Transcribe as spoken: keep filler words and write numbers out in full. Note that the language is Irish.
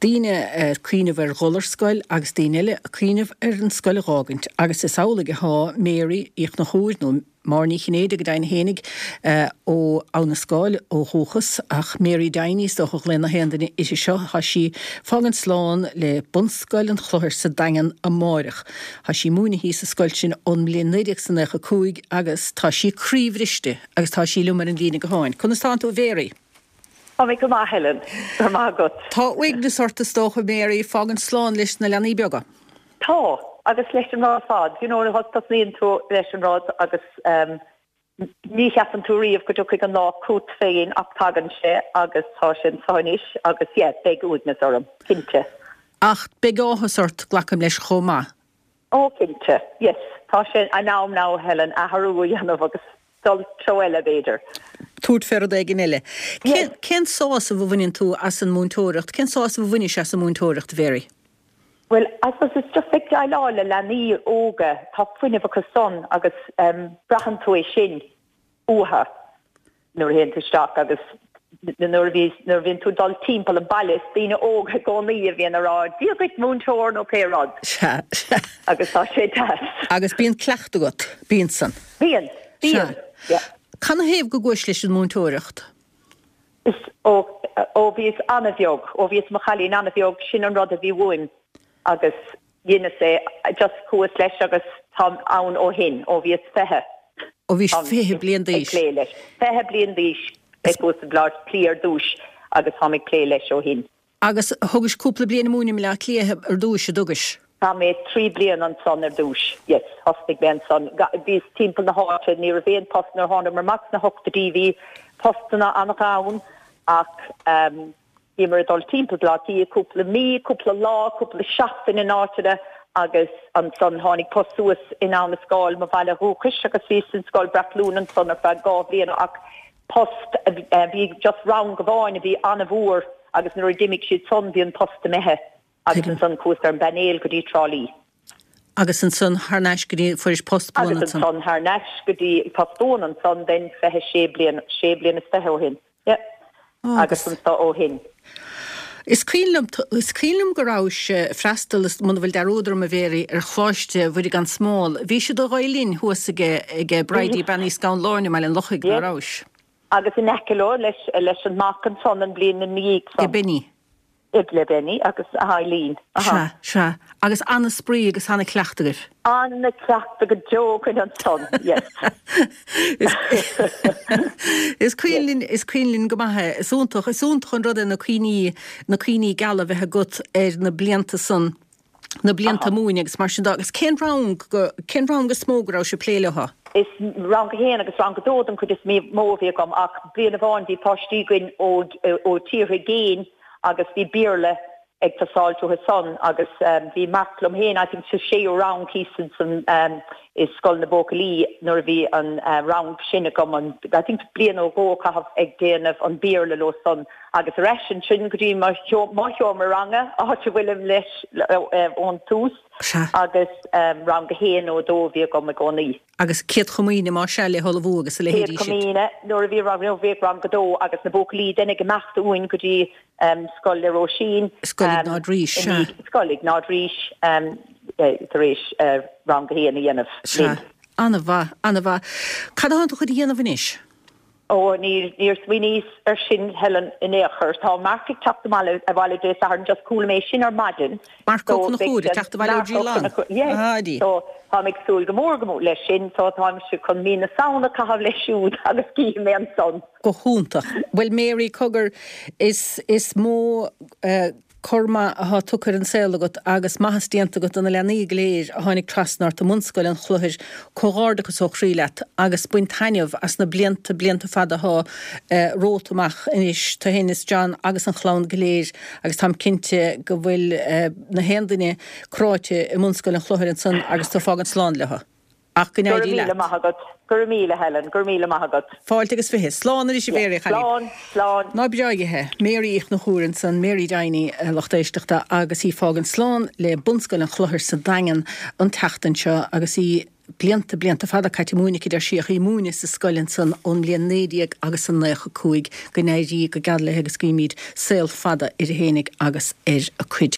Daoine ag cuimhneamh ar dhul ar scoil agus daoine eile ag cuimhneamh ar an scoil a dh'fhágaint agus is amhlaidh athá Mary Uí Chonchúir nó Máire Ní Chinnéide go deimhin fhéinig ó Abha na Scáil ó dhúchas ach Mary Diney is dócha a ghlaonn na haon duine uirthi seo. Tá sí fágaint slán le Bunscoil an Chlochair sa Daingean amáireach. Tá sí múineadh sa scoil sin ón mbliain naoi déag is naocha cúig agus tá sí croíbhriste agus tá sí liom ar an líne gutháin. Conas tánn tú a Mhary? Tá mé go maith Helen, go maith agat. Tá uaigneas ort is dócha Mary fágaint slán leis na leanaí beaga. Tá agus leis an rud fad, you know, tosnaíonn tú leis an rud agus um, ní cheapann tú riamh go dtiocfaidh an lá chugat féin ach tagann sé agus tá sin anois agus yeah, beidh uaigneas orm, cinnte. Ach beidh áthas ort glacaim leis chomh maith. Ó cinnte, yes, tá sé an am now Helen athrú a dhéanamh agus dul treo eile b'fhéidir. Tabhairt faoi rud éigin eile. Cén sásamh a bhaineann tú as an múinteoireacht, cén sásamh a bhainis as an múinteoireacht Mhary? Well, I suppose it's just ag déileáil le leanaí óga tá fuinneamh acu san agus um, braitheann tú é sin uathu nuair a théann tú isteach agus nuair bhí nuair bhíonn tú dul timpeall an baile is daoine óga i gcónaí a bhíonn ag rá Dia duit múinteoir nó pé rud. agus tá sé deas. Agus bíonn cleachtadh agat, bíonn san. Bíonn, bíonn. Canathaobh go gcuais leis an múinteoireacht? Is ó ó bhíos an-bheag, ó bhíos mo chailín an-bheag sin an rud a bhí uaim agus dheineas é just chuas leis agus tá ann ó shin ó bhíos fiche. Ó bhí fiche bliain d'aois. leis. Fiche bliain d'aois ag chuas i Bleá Cliath ar dtús agus tá ag plé leis ó shin. Agus thugais cúpla bliain múineadh i mBleá Cliath ar dtús a dtugais. Tá mé trí bliana ansan ar dtús. Yes, thosnaigh mé ansan. Bhíos timpeall na háite ní raibh aon post nuair tháinig amach sna hochtóidí bhí postanna an-ghann ach um, bhí mar dul timpeall Bleá Cliath cúpla mí, cúpla lá, cúpla seachtain in áiteanna agus ansan tháinig post suas in Abha na Scáil mo bhaile dhúchais agus bhí sin scoil Brackloon ansan ar feadh dhá bhliain ach post bhí just rang amháin a bhí an-mhór agus nuair a d'imigh siad san bhí an post imithe agus ansan chuas ar an bpainéal go dtí Trá Lí. Agus ansan thar n-ais go dtí fuairis post buan Agus ansan thar n-ais go dtí post buan ansan den fiche sé bliain sé bliain is fiche ó shin. Yeah. Oh, agus anso ó shin. Is cuimhin is cuimhin liom go rabhais freastal muna bhfuil dearúd orm a Mhary ar Choláiste Mhuire gan Smál. Bhí siad a linn thuas aige aige Bridie Bean Uí Scanláin me an lochaigh ná rabhais. Agus in aice leo leis leis an mac ansan an bliain na níag Ge Benny. Le Benny agus a Eileen. Se se agus an-spraoi agus an-chleachtadh agaibh. An-chleachtadh go deo ansan yes. Is cuimhin is cuimhin go maith is iontach is iontach an rud é na cuimhní na cuimhní geala bheith agat ar na blianta san na blianta múineadh agus mar sin agus cén rang cén rang is mó go raibh sé plé leo? Is rang a haon agus rang a dó an chuid is mó a bhí agam ach bliain amháin bhí páistí againn ó ó tíortha i gcéin agus bhí Béarla ag teastáil uathu san agus um, bhí Mark liom féin I think sa séú rang san san um, i scoil na buachaillí nuair a bhí an uh, rang sin agam an I think bliain ó go caitheamh ag déanamh an Béarla leo san agus leis an sin go dtí mo sheomra ranga áit a bhfuilim leis ón tús agus um, rang a haon nó dó bhí agam i gcónaí. Agus céad chomaoine má se le thuú agus a le chomaoine nuair a bhí rang bhí rang a dó agus na buachaillí den ag imeacht uainn go dtí um, scoil le Róisín Scoil Iognáid Rís Scoil Iognáid Rís um, tar éis uh, rang a haon a dhéanamh. An-mhaith an-mhaith. Cad atá tú chun a dhéanamh anois? Ó níor níor smaoiníos ar sin Helen in aon chor tá Mark ag teacht abhaile abhaile Dé Sathairn just chuala mé sin ar maidin. Mark Ó Conchúir teacht abhaile ó G So tá ag súil go mór go mór leis sin so táim sé chun mí na Samhna a chaitheamh leis siúd agus cífidh mé ansan. Go hiontach. Well Mary cogar is is mó uh, cor maith atá tugtha ar an saol agat agus maitheas déanta agat do na leanaí go léir a tháinig trasna ort i mBunscoil an Chlochair comhghairdeachas ó chroí leat agus bain taitneamh as na blianta blianta fada atá uh, romhat amach anois tú féin is John agus an chlann go léir agus táim cinnte go bhfuil uh, na haon duine cráite i mBunscoil an Chlochair ansan agus tú fágaint slán leo. Ach go n-éirí leat. Maith agat, gur míle Helen, gur míle maith agat. Fáilte agus fiche, slán arís a Mhary Slán, slán. Ná breáigithe, Mary Uí Chonchúir ansan Mary Diney lucht éisteachta agus í fágaint slán le Bunscoil an Chlochair sa Daingean an tseachtain seo agus í blianta, blianta fada caite ag múineadh aici, deir sí, ach í ag múineadh sa scoil ansan ón mbliain naoi déag agus a naocha cúig. Go n-éirí go geal léi agus guímid saol fada uirthi fhéinig agus ar a cuid.